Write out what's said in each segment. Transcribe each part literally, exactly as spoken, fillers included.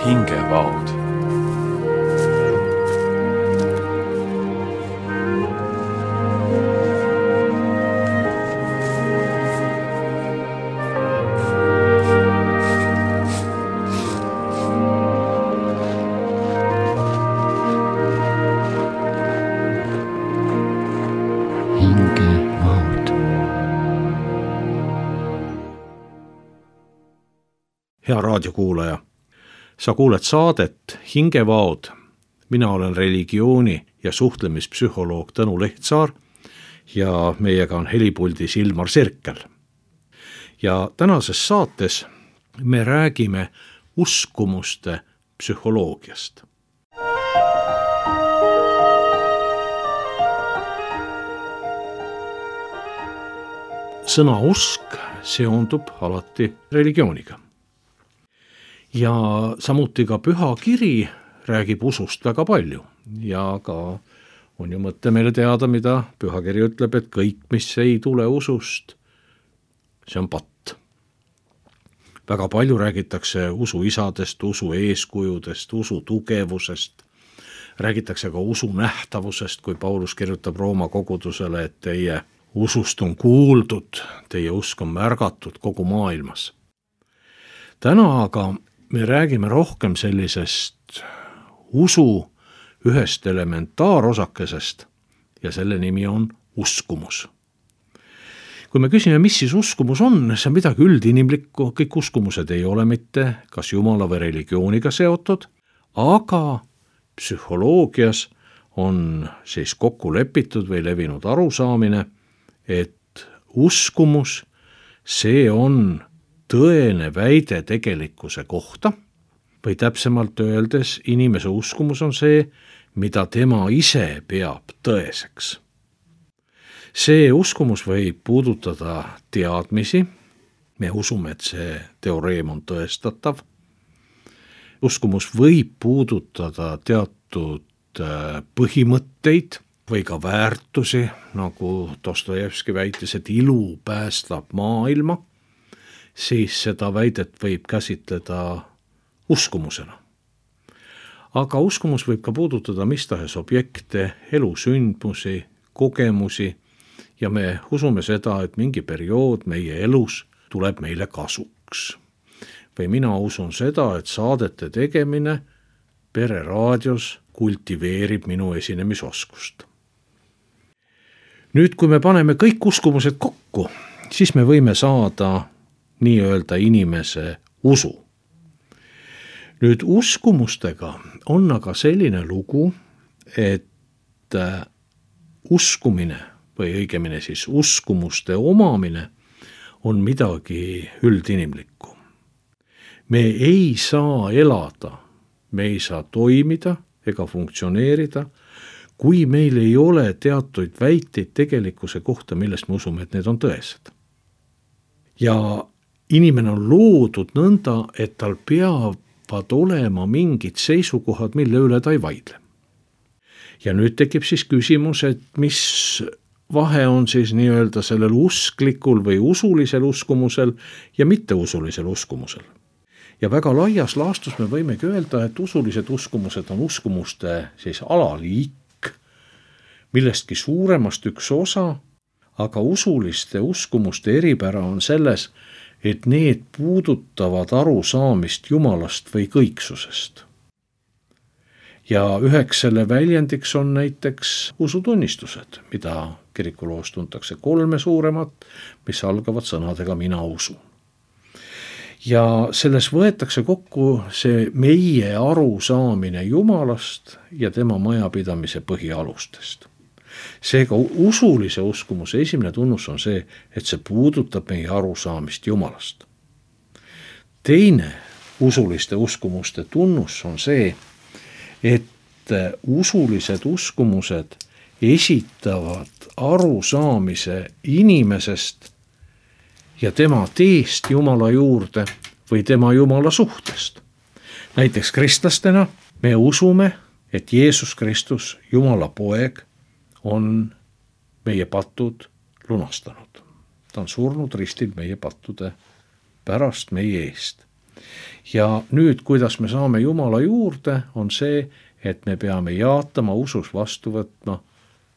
hingevaod. Hea raadiokuulaja, sa kuuled saadet Hingevaod. Mina olen religiooni- ja suhtlemispsühholoog Tõnu Lehtsaar ja meiega on helipuldis Ilmar Sirkel. Ja tänases saates me räägime uskumuste psühholoogiast. Sõna usk seondub alati religiooniga. Ja samuti ka püha kiri räägib usust väga palju ja ka on ju mõte meile teada, mida pühakiri ütleb, et kõik, mis ei tule usust, see on patt. Väga palju räägitakse usu isadest, usu eeskujudest, usu tugevusest, räägitakse ka usu nähtavusest, kui Paulus kirjutab Rooma kogudusele, et teie usust on kuuldud, teie usk on märgatud kogu maailmas. Täna aga me räägime rohkem sellisest usu ühest elementaarosakesest ja selle nimi on uskumus. Kui me küsime, mis siis uskumus on, see on midagi üldinimlikku, kõik uskumused ei ole mitte kas jumala või religiooniga seotud, aga psühholoogias on siis kokku lepitud või levinud arusaamine, et uskumus, see on tõene väide tegelikkuse kohta või täpsemalt öeldes inimese uskumus on see, mida tema ise peab tõeseks. See uskumus võib puudutada teadmisi, me usume, et see teoreem on tõestatav. Uskumus võib puudutada teatud põhimõtteid või ka väärtusi, nagu Dostojevski väitis, et ilu päästab maailma, siis seda väidet võib käsitleda uskumusena. Aga uskumus võib ka puudutada mis tahes objekte, elusündmusi, kogemusi ja me usume seda, et mingi periood meie elus tuleb meile kasuks. Või mina usun seda, et saadete tegemine Pere raadios kultiveerib minu esinemisoskust. Nüüd, kui me paneme kõik uskumused kokku, siis me võime saada nii-öelda inimese usu. Nüüd uskumustega on aga selline lugu, et uskumine või õigemini siis uskumuste omamine on midagi üldinimlikku. Me ei saa elada, me ei saa toimida ega funktsioneerida, kui meil ei ole teatuid väiteid tegelikkuse kohta, millest me usume, et need on tõesed. Ja inimene on loodud nõnda, et tal peavad olema mingid seisukohad, mille üle ta ei vaidle. Ja nüüd tekib siis küsimus, et mis vahe on siis nii-öelda sellel usklikul või usulisel uskumusel ja mitteusulisel uskumusel. Ja väga laias laastus me võimegi öelda, et usulised uskumused on uskumuste siis alaliik, millestki suuremast üks osa, aga usuliste uskumuste eripära on selles, et need puudutavad arusaamist Jumalast või kõiksusest. Ja üheks selle väljendiks on näiteks usutunnistused, mida kirikuloos tuntakse kolme suuremat, mis algavad sõnadega mina usun. Ja selles võetakse kokku see meie arusaamine Jumalast ja tema majapidamise põhialustest. Seega usulise uskumuse esimene tunnus on see, et see puudutab meie arusaamist Jumalast. Teine usuliste uskumuste tunnus on see, et usulised uskumused esitavad arusaamise inimesest ja tema teest Jumala juurde või tema Jumala suhtest. Näiteks kristlastena me usume, et Jeesus Kristus, Jumala poeg, on meie patud lunastanud. Ta on surnud ristil meie pattude pärast meie eest. ja nüüd, kuidas me saame Jumala juurde, on see, et me peame jaatama usus vastu võtma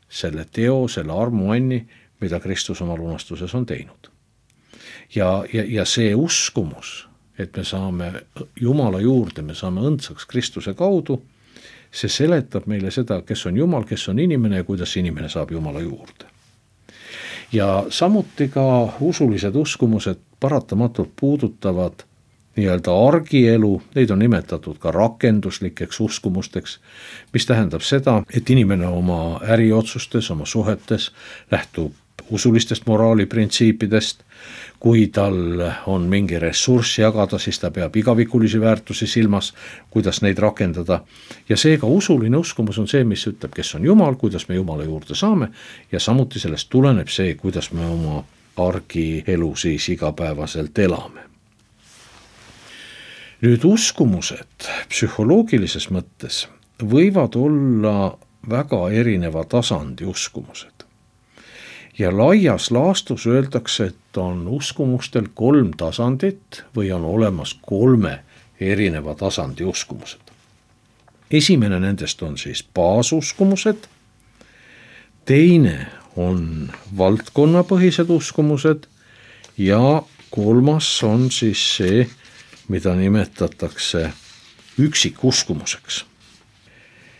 selle teo, selle armuanni, mida Kristus oma lunastuses on teinud. Ja, ja, ja see uskumus, et me saame Jumala juurde, me saame õndsaks Kristuse kaudu, see seletab meile seda, kes on Jumal, kes on inimene ja kuidas inimene saab Jumala juurde. Ja samuti ka usulised uskumused paratamatult puudutavad nii-öelda argielu, neid on nimetatud ka rakenduslikeks uskumusteks, mis tähendab seda, et inimene oma äriotsustes, oma suhetes lähtub usulistest moraaliprintsiipidest. Kui tal on mingi ressurss jagada, siis ta peab igavikulisi väärtusi silmas, kuidas neid rakendada. Ja seega usuline uskumus on see, mis ütleb, kes on Jumal, kuidas me Jumala juurde saame ja samuti sellest tuleneb see, kuidas me oma argielu siis igapäevaselt elame. Nüüd uskumused psühholoogilises mõttes võivad olla väga erineva tasandi uskumused. Ja laias laastus öeldakse, et on uskumustel kolm tasandit või on olemas kolme erineva tasandi uskumused. Esimene nendest on siis baasuskumused, teine on valdkonnapõhised uskumused ja kolmas on siis see, mida nimetatakse üksikuskumuseks.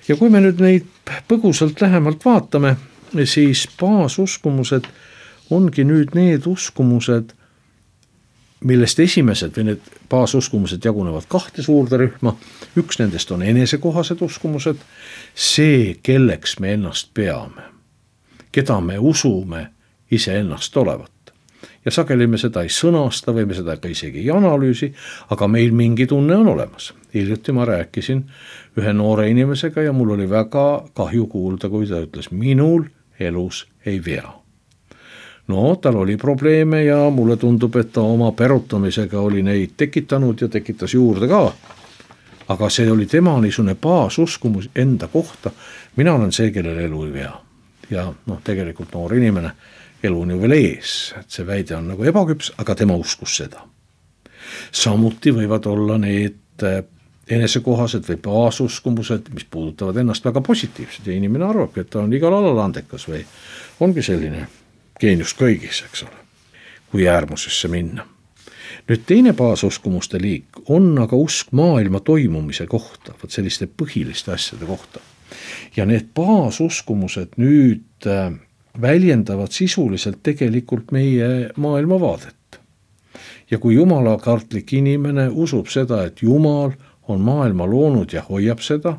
Ja kui me nüüd neid põgusalt lähemalt vaatame, siis baasuskumused ongi nüüd need uskumused, millest esimesed või need baasuskumused jagunevad kahte suurde rühma. Üks nendest on enesekohased uskumused, see, kelleks me ennast peame, keda me usume ise ennast olevat. Ja sageli me seda ei sõnasta või me seda ka isegi ei analüüsi, aga meil mingi tunne on olemas. Hiljuti ma rääkisin ühe noore inimesega ja mul oli väga kahju kuulda, kui ta ütles, minul elus ei vea. No, tal oli probleeme ja mulle tundub, et ta oma perutamisega oli neid tekitanud ja tekitas juurde ka. Aga see oli tema niisugune baasuskumus enda kohta. Mina olen see, kellel elu ei vea. Ja noh, tegelikult noor inimene elu on ju veel ees, et see väide on nagu ebaküps, aga tema uskus seda. Samuti võivad olla need enesekohased või baasuskumused, mis puudutavad ennast väga positiivsed ja inimene arvab, et ta on igal alal andekas või ongi selline geenius kõigis, eks ole, kui äärmusesse minna. Nüüd teine baasusumuste liik on aga usk maailma toimumise kohta, võt selliste põhiliste asjade kohta. Ja need baasuskumused nüüd väljendavad sisuliselt tegelikult meie maailmavaadet. Ja kui jumalakartlik inimene usub seda, et Jumal on maailma loonud ja hoiab seda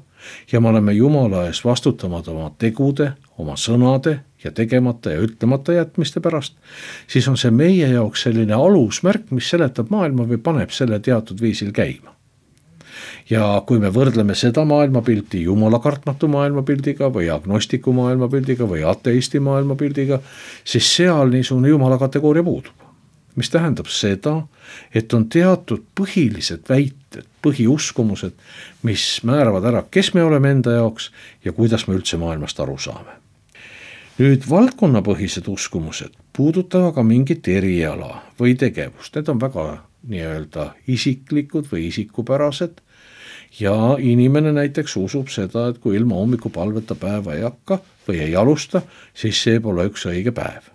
ja me oleme Jumala ees vastutamad oma tegude, oma sõnade ja tegemata ja ütlemata jätmiste pärast, siis on see meie jaoks selline alusmärk, mis seletab maailma või paneb selle teatud viisil käima. Ja kui me võrdleme seda maailmapilti jumalakartmatu maailmapildiga või agnostiku maailmapildiga või ateisti maailmapildiga, siis seal niisugune jumala kategooria puudub. Mis tähendab seda, et on teatud põhilised väited, põhiuskumused, mis määravad ära, kes me oleme enda jaoks ja kuidas me üldse maailmast aru saame. Nüüd valdkonnapõhised uskumused puudutavad ka mingit eriala või tegevust. Need on väga nii-öelda isiklikud või isikupärased ja inimene näiteks usub seda, et kui ilma hommikupalveta päeva ei hakka või ei alusta, siis see pole üks õige päev.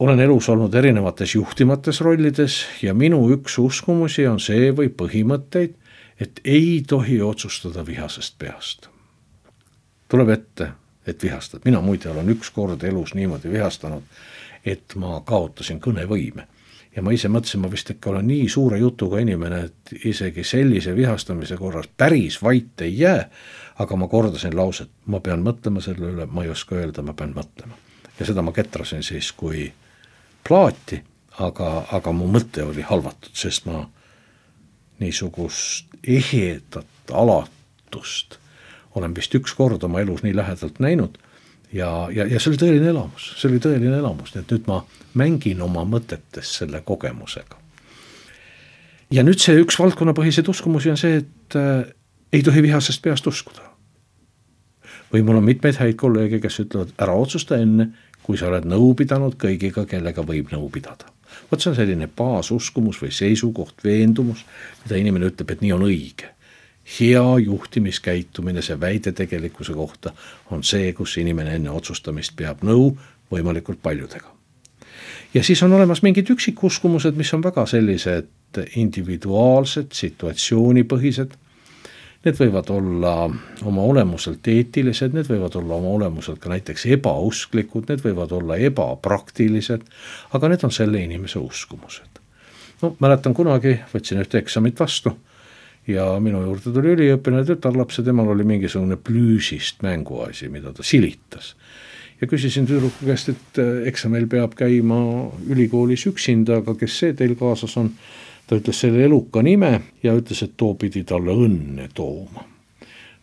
Olen elus olnud erinevates juhtimates rollides ja minu üks uskumusi on see või põhimõtteid, et ei tohi otsustada vihasest peast. Tuleb ette, et vihastad. Mina muide olen üks kord elus niimoodi vihastanud, et ma kaotasin kõnevõime. Ja ma ise mõtlesin, ma vist ikka olen nii suure jutuga inimene, et isegi sellise vihastamise korras päris vait ei jää, aga ma kordasin lauset, ma pean mõtlema selle üle, ma ei oska öelda, ma pean mõtlema. Ja seda ma ketrasin siis kui plaati, aga, aga mu mõte oli halvatud, sest ma niisugust ehedat alatust olen vist üks kord oma elus nii lähedalt näinud ja, ja, ja see oli tõeline elamus, see oli tõeline elamus, nii et nüüd ma mängin oma mõtetes selle kogemusega. Ja nüüd see üks valdkonnapõhiseid uskumusi on see, et äh, ei tohi vihasest peast uskuda. Või mul on mitmeid häid kolleege, kes ütlevad, ära otsusta enne, kui sa oled nõu pidanud kõigiga, kellega võib nõu pidada. Vot see on selline baasuskumus või seisukoht, veendumus, mida inimene ütleb, et nii on õige. Hea juhtimiskäitumine, see väide tegelikkuse kohta on see, kus inimene enne otsustamist peab nõu võimalikult paljudega. Ja siis on olemas mingid üksikuskumused, mis on väga sellised individuaalsed, situatsioonipõhised. Need võivad olla oma olemuselt eetilised, need võivad olla oma olemuselt ka näiteks ebausklikud, need võivad olla ebapraktilised, aga need on selle inimese uskumused. No, mäletan kunagi, võtsin ühte eksamit vastu ja minu juurde tuli üliõpilane tütarlaps ja temal oli mingisugune plüüsist mänguasi, mida ta silitas. Ja küsisin tüdruku käest, et eksamil peab käima ülikoolis üksinda, aga kes see teil kaasas on? Ta ütles selle eluka nime ja ütles, et too pidi talle õnne tooma.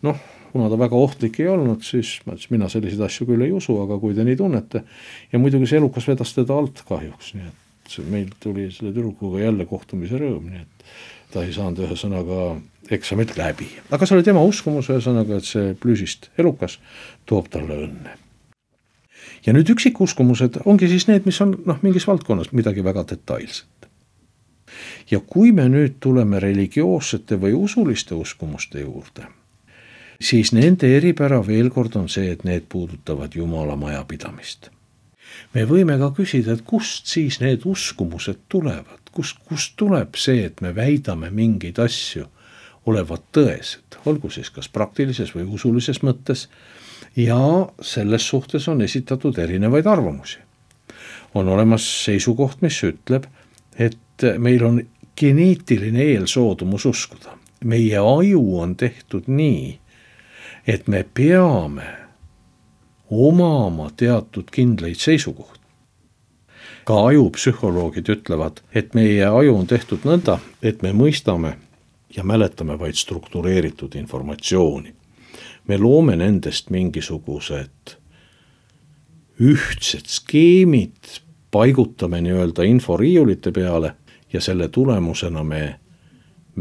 Noh, kuna ta väga ohtlik ei olnud, siis ma ütles, mina selliseid asju küll ei usu, aga kui te nii tunnete. Ja muidugi see elukas vedas teda alt kahjuks, nii et meil tuli selle tüdrukuga jälle kohtumise rõõm, nii et ta ei saanud ühe sõnaga eksamit läbi. Aga see oli tema uskumus ühe sõnaga, et see plüüsist elukas toob talle õnne. Ja nüüd üksikuskumused ongi siis need, mis on noh, mingis valdkonnas midagi väga detailset. Ja kui me nüüd tuleme religioossete või usuliste uskumuste juurde, siis nende eripära veel kord on see, et need puudutavad Jumala majapidamist. Me võime ka küsida, et kust siis need uskumused tulevad, kust, kust tuleb see, et me väidame mingeid asju olevat tõesed, olgu siis kas praktilises või usulises mõttes, ja selles suhtes on esitatud erinevaid arvamusi. On olemas seisukoht, mis ütleb, et meil on geneetiline eelsoodumus uskuda. Meie aju on tehtud nii, et me peame omama teatud kindlaid seisukohti. Ka ajupsühholoogid ütlevad, et meie aju on tehtud nõnda, et me mõistame ja mäletame vaid struktureeritud informatsiooni. Me loome nendest mingisugused ühtsed skeemid, paigutame nii-öelda inforiiulite peale ja selle tulemusena me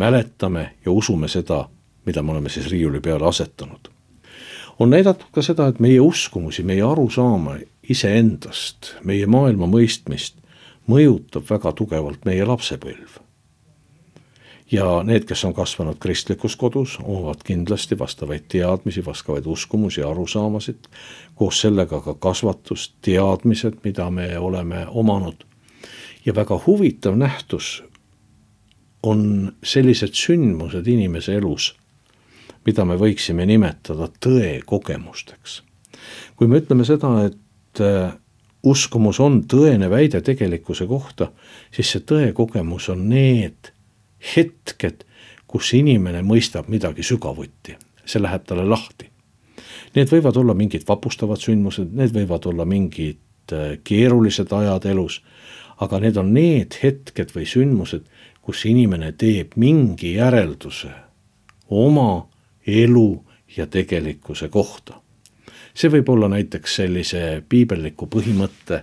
mäletame ja usume seda, mida me oleme siis riiuli peale asetanud. On näidatud ka seda, et meie uskumusi, meie arusaama iseendast, meie maailma mõistmist mõjutab väga tugevalt meie lapsepõlv. Ja need, kes on kasvanud kristlikus kodus, omavad kindlasti vastavaid teadmisi, vastavaid uskumusi ja arusaamasid, koos sellega ka kasvatus, teadmised, mida me oleme omanud. Ja väga huvitav nähtus on sellised sündmused inimese elus, mida me võiksime nimetada tõe kogemusteks. Kui me ütleme seda, et uskumus on tõene väide tegelikkuse kohta, siis see tõe kogemus on need hetked, kus inimene mõistab midagi sügavuti. See läheb talle lahti. Need võivad olla mingid vapustavad sündmused, need võivad olla mingid keerulised ajad elus, aga need on need hetked või sündmused, kus inimene teeb mingi järelduse oma elu ja tegelikkuse kohta. See võib olla näiteks sellise piibelliku põhimõtte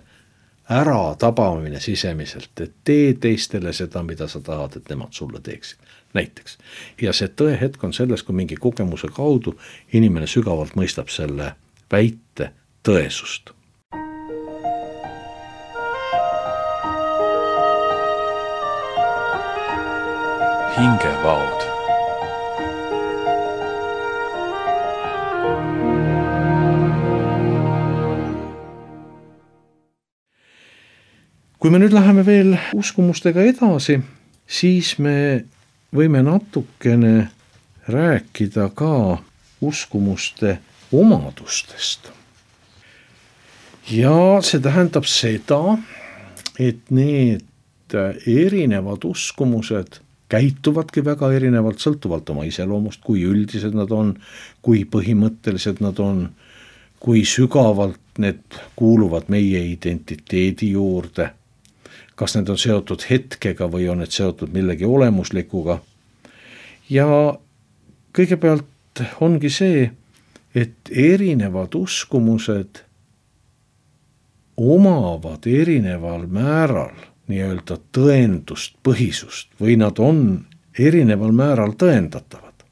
ära tabamine sisemiselt, et tee teistele seda, mida sa tahad, et nemad sulle teeksid. Näiteks. Ja see tõehetk on selles, kui mingi kogemuse kaudu inimene sügavalt mõistab selle väite tõesust. Hingevaod. Kui me nüüd läheme veel uskumustega edasi, siis me võime natukene rääkida ka uskumuste omadustest. Ja see tähendab seda, et need erinevad uskumused käituvadki väga erinevalt, sõltuvalt oma iseloomust, kui üldised nad on, kui põhimõttelised nad on, kui sügavalt need kuuluvad meie identiteedi juurde, kas need on seotud hetkega või on need seotud millegi olemuslikuga. Ja kõigepealt ongi see, et erinevad uskumused omavad erineval määral nii-öelda tõendust, põhisust või nad on erineval määral tõendatavad.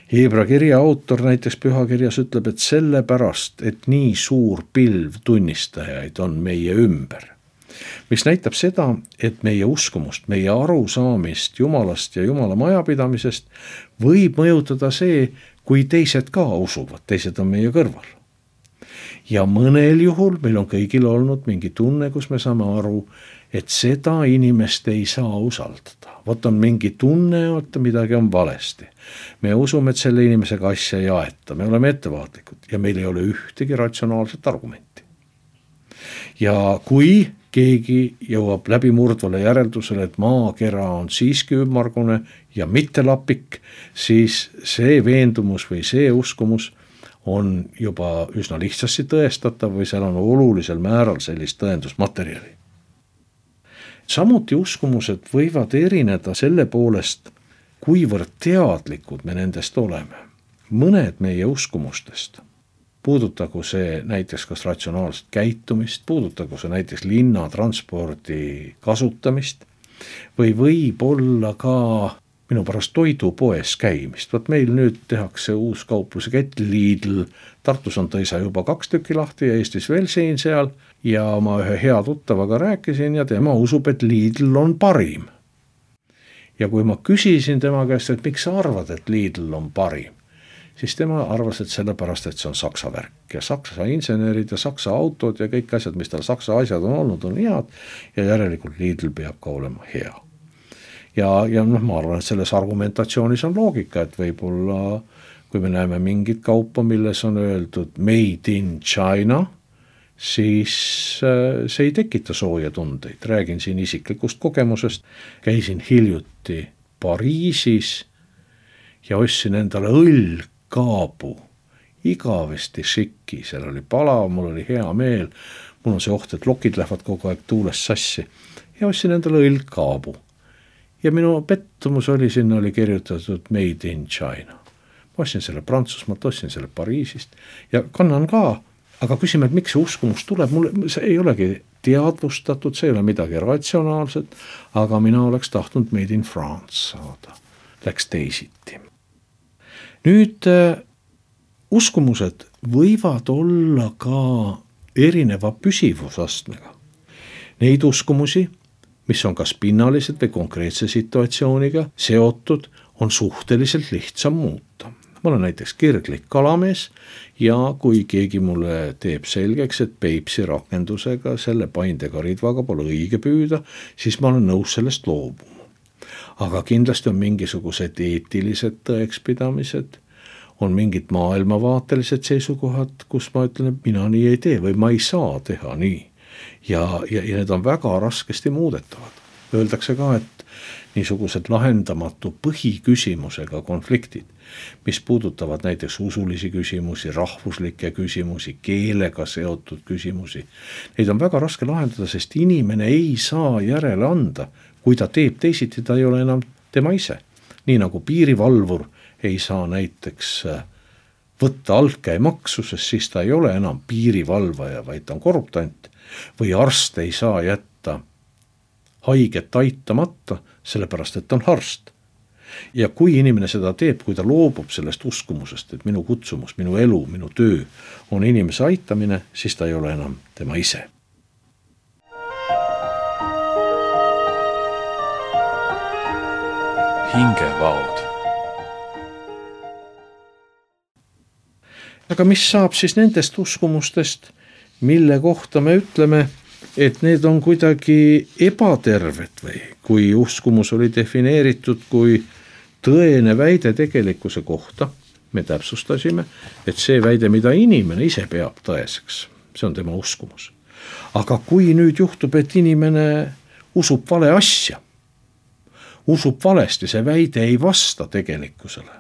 Heebra kirja autor näiteks pühakirjas ütleb, et sellepärast, et nii suur pilv tunnistajaid on meie ümber. mis näitab seda, et meie uskumust, meie arusaamist Jumalast ja Jumala majapidamisest võib mõjutada see, kui teised ka usuvad, teised on meie kõrval. Ja mõnel juhul meil on kõigil olnud mingi tunne, kus me saame aru, et seda inimest ei saa usaldada. Vot on mingi tunne, et midagi on valesti. Me usume, et selle inimesega asja ei aeta, me oleme ettevaatlikud ja meil ei ole ühtegi ratsionaalset argumenti. Ja kui keegi jõuab läbimurdvale järeldusele, et maakera on siiski ümmargune ja mitte lapik, siis see veendumus või see uskumus on juba üsna lihtsasti tõestatav või seal on olulisel määral sellist tõendusmaterjali. Samuti uskumused võivad erineda selle poolest, kuivõrd teadlikud me nendest oleme. Mõned meie uskumustest, puudutagu see näiteks kas ratsionaalset käitumist, puudutagu see näiteks linnatranspordi kasutamist või võib olla ka minu pärast toidupoes käimist. Võt meil nüüd tehakse uus kaupluse kett Lidl, Tartus on tõisa juba kaks tükki lahti ja Eestis veel siin seal ja ma ühe hea tuttavaga rääkisin ja tema usub, et Lidl on parim. Ja kui ma küsisin tema käest, et miks sa arvad, et Lidl on parim, siis tema arvas, et sellepärast, et see on saksa värk ja saksa insenerid ja saksa autod ja kõik asjad, mis tal saksa asjad on olnud, on head ja järelikult Lidl peab ka olema hea. Ja, ja noh, ma arvan, et selles argumentatsioonis on loogika, et võib-olla kui me näeme mingit kaupa, milles on öeldud made in China, siis see ei tekita sooja tundeid. Räägin siin isiklikust kogemusest. Käisin hiljuti Pariisis ja ostsin endale õllkaabu. Igavesti šikki, seal oli palav, mul oli hea meel. Mul on see oht, et lokid lähevad kogu aeg tuules sassi. Ja ostsin endale õllkaabu. Ja minu pettumus oli, sinna oli kirjutatud made in China. Ma ostsin selle Prantsusmaalt, ostsin selle Pariisist ja kannan ka, aga küsime, et miks see uskumus tuleb, mulle see ei olegi teadvustatud, see ei ole midagi ratsionaalset, aga mina oleks tahtnud made in France saada. Läks teisiti. Nüüd äh, uskumused võivad olla ka erineva püsivusastmega. Neid uskumusi, mis on kas pinnalised või konkreetse situatsiooniga seotud, on suhteliselt lihtsam muuta. Ma olen näiteks kirglik kalamees ja kui keegi mulle teeb selgeks, et Peipsi rakendusega selle paindega ridvaga pole õige püüda, siis ma olen nõus sellest loobuma. Aga kindlasti on mingisugused eetilised tõekspidamised, on mingid maailmavaatelised seisukohad, kus ma ütlen, et mina nii ei tee või ma ei saa teha nii. Ja, ja, ja need on väga raskesti muudetavad. Öeldakse ka, et niisugused lahendamatu põhiküsimusega konfliktid, mis puudutavad näiteks usulisi küsimusi, rahvuslikke küsimusi, keelega seotud küsimusi, neid on väga raske lahendada, sest inimene ei saa järele anda. Kui ta teeb teisiti, ta ei ole enam tema ise. Nii nagu piirivalvur ei saa näiteks võtta altkäemaksu, sest siis ta ei ole enam piirivalvaja, vaid ta on korruptant. Või arst ei saa jätta haiget aitamata, sellepärast, et on arst. Ja kui inimene seda teeb, kui ta loobub sellest uskumusest, et minu kutsumus, minu elu, minu töö on inimese aitamine, siis ta ei ole enam tema ise. Hingevaod. Aga mis saab siis nendest uskumustest, mille kohta me ütleme, et need on kuidagi ebaterved või kui uskumus oli defineeritud kui tõene väide tegelikkuse kohta, me täpsustasime, et see väide, mida inimene ise peab tõeseks, see on tema uskumus. Aga kui nüüd juhtub, et inimene usub vale asja, usub valesti, see väide ei vasta tegelikkusele,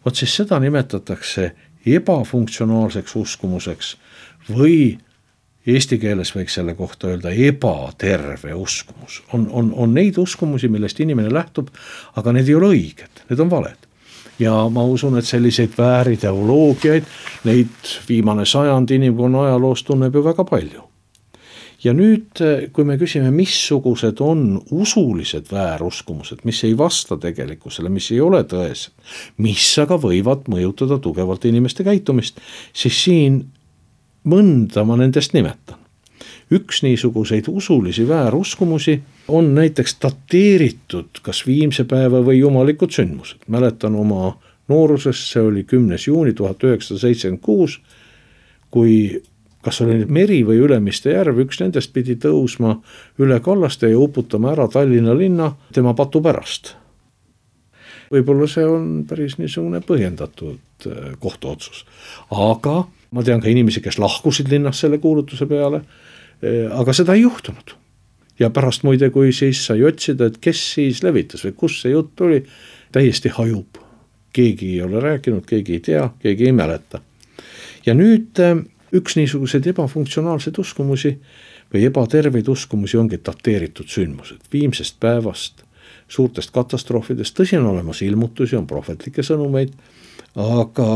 vot siis seda nimetatakse ebafunktsionaalseks uskumuseks või eesti keeles võiks selle kohta öelda ebaterve uskumus. On, on, on neid uskumusi, millest inimene lähtub, aga need ei ole õiged, need on valed. Ja ma usun, et selliseid väärideoloogiaid, neid viimane sajand inimkonna ajaloos tunneb ju väga palju. Ja nüüd, kui me küsime, missugused on usulised vääruskumused, mis ei vasta tegelikkusele, mis ei ole tõesed, mis aga võivad mõjutada tugevalt inimeste käitumist, siis siin mõnda ma nendest nimetan. üks niisuguseid usulisi vääruskumusi on näiteks dateeritud kas viimse päeva või jumalikud sündmused. Mäletan oma noorusest, see oli kümnes juuni tuhat üheksasada seitsekümmend kuus, kui kas oli meri või Ülemiste järv, üks nendest pidi tõusma üle kallaste ja uputama ära Tallinna linna tema patu pärast. Võib-olla see on päris niisugune põhjendatud kohtuotsus. Aga ma tean ka inimesi, kes lahkusid linnast selle kuulutuse peale, aga seda ei juhtunud. Ja pärast muide, kui siis sai otsida, et kes siis levitas või kus see jutt oli, täiesti hajub. Keegi ei ole rääkinud, keegi ei tea, keegi ei mäleta. Ja nüüd üks niisugused ebafunktsionaalsed uskumusi või ebaterveid uskumusi ongi dateeritud sündmused. Viimsest päevast, suurtest katastroofidest, tõsi on olemas ilmutusi, on prohvetlikke sõnumeid, aga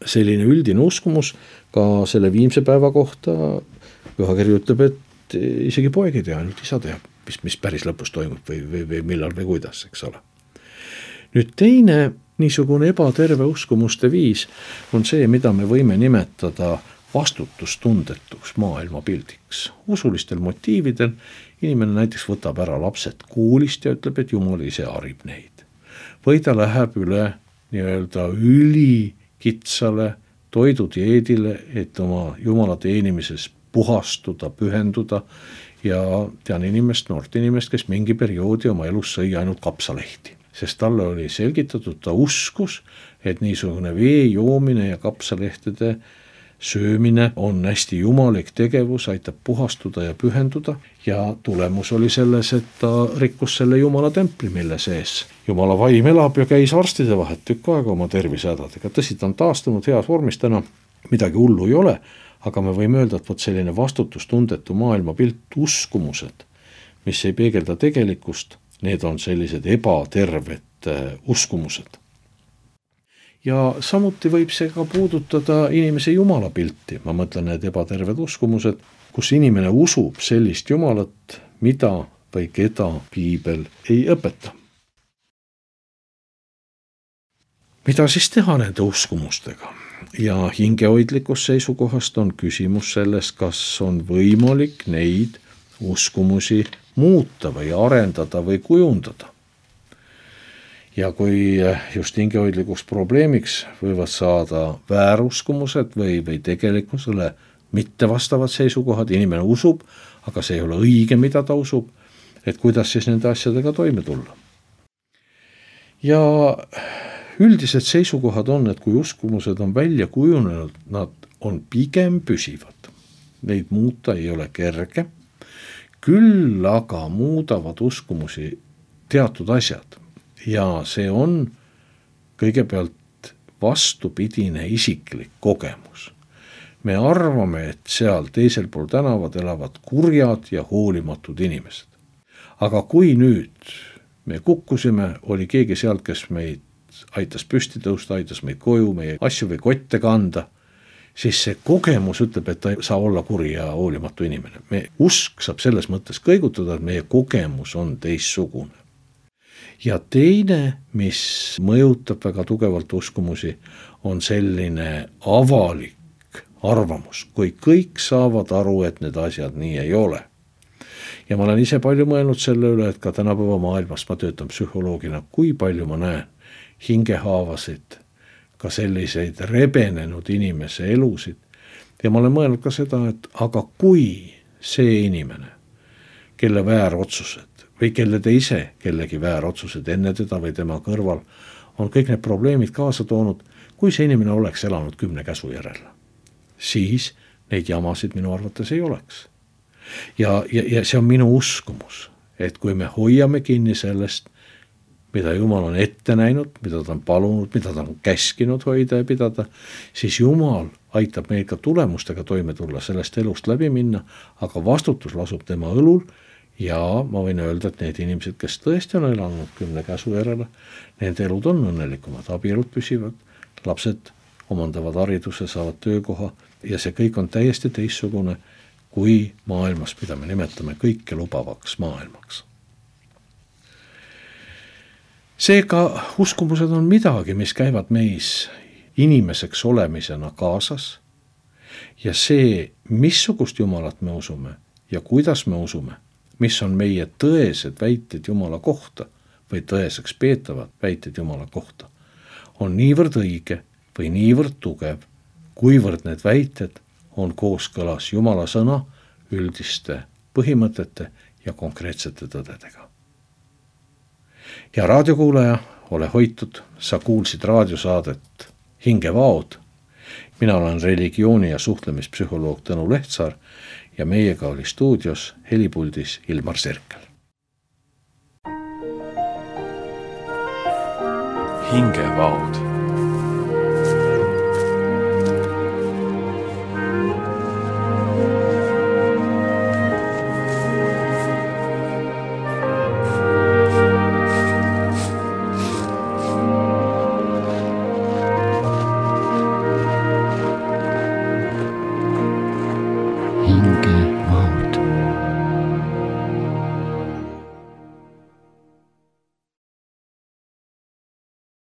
selline üldine uskumus ka selle viimse päeva kohta, pühakiri ütleb, et isegi poeg ei tea, ainult isa teab, mis, mis päris lõpus toimub või, või, või millal või kuidas, eks ole. Nüüd teine niisugune ebaterve uskumuste viis on see, mida me võime nimetada vastutustundetuks maailmapildiks. Usulistel motiividel inimene näiteks võtab ära lapsed koolist ja ütleb, et Jumal ise harib neid. Või ta läheb üle nii-öelda ülikitsale toidudieedile, et oma Jumala teenimises puhastuda, pühenduda ja tean inimest, noort inimest, kes mingi perioodi oma elus sõi ainult kapsalehti. Sest talle oli selgitatud, ta uskus, et niisugune vee joomine ja kapsalehtede söömine on hästi jumalik tegevus, aitab puhastuda ja pühenduda ja tulemus oli selles, et ta rikkus selle Jumala templi, mille sees Jumala vaim elab ja käis arstide vahet tükk aega oma tervisehädadega. Tõsi, ta on taastunud heas vormis täna, midagi hullu ei ole, aga me võime öelda, et võt selline vastutustundetu maailmapilt, uskumused, mis ei peegelda tegelikkust, need on sellised ebaterved uskumused. Ja samuti võib see ka puudutada inimese jumalapilti. Ma mõtlen need ebaterved uskumused, kus inimene usub sellist jumalat, mida või keda piibel ei õpeta. Mida siis teha nende uskumustega? Ja hingehoidlikust seisukohast on küsimus selles, kas on võimalik neid uskumusi muuta või arendada või kujundada. Ja kui just hingehoidlikuks probleemiks võivad saada vääruskumused või, või tegelikkusele mitte vastavad seisukohad, inimene usub, aga see ei ole õige, mida ta usub, et kuidas siis nende asjadega toime tulla. Ja üldised seisukohad on, et kui uskumused on välja kujunenud, nad on pigem püsivad. Neid muuta ei ole kerge, küll aga muudavad uskumusi teatud asjad. Ja see on kõigepealt vastupidine isiklik kogemus. Me arvame, et seal teisel pool tänavad elavad kurjad ja hoolimatud inimesed. Aga kui nüüd me kukkusime, oli keegi sealt, kes meid aitas püsti tõusta, aitas meid koju, meie asju või kotte kanda, siis see kogemus ütleb, et ta ei saa olla kuri ja hoolimatu inimene. Me usk saab selles mõttes kõigutada, et meie kogemus on teistsugune. Ja teine, mis mõjutab väga tugevalt uskumusi, on selline avalik arvamus, kui kõik saavad aru, et need asjad nii ei ole. Ja ma olen ise palju mõelnud selle üle, et ka tänapäeva maailmas ma töötan psühholoogina, kui palju ma näen hingehaavasid, ka selliseid rebenenud inimese elusid. Ja ma olen mõelnud ka seda, et aga kui see inimene, kelle väärotsused, või kelle te ise kellegi väärotsused enne teda või tema kõrval on kõik need probleemid kaasa toonud, kui see inimene oleks elanud kümne käsu järel, siis neid jamasid minu arvates ei oleks. Ja, ja, ja see on minu uskumus, et kui me hoiame kinni sellest, mida Jumal on ette näinud, mida ta on palunud, mida ta on käskinud hoida ja pidada, siis Jumal aitab meil ka tulemustega toime tulla, sellest elust läbi minna, aga vastutus lasub tema õlul. Ja ma võin öelda, et need inimesed, kes tõesti on elanud kümne käsu järele, nende elud on õnnelikumad, abielud püsivad, lapsed omandavad hariduse, saavad töökoha ja see kõik on täiesti teistsugune kui maailmas, mida me nimetame kõike lubavaks maailmaks. Seega uskumused on midagi, mis käivad meis inimeseks olemisena kaasas ja see, missugust Jumalat me usume ja kuidas me usume, mis on meie tõesed väited Jumala kohta või tõeseks peetavad väited Jumala kohta, on niivõrd õige või niivõrd tugev, kuivõrd need väited on kooskõlas Jumala sõna üldiste põhimõtete ja konkreetsete tõdedega. Ja raadiokuulaja, ole hoitud, sa kuulsid raadiosaadet Hingevaod. Mina olen religiooni- ja suhtlemispsühholoog Tõnu Lehtsaar ja meiega oli stuudios helipuldis Ilmar Sirkel. Hingevaod.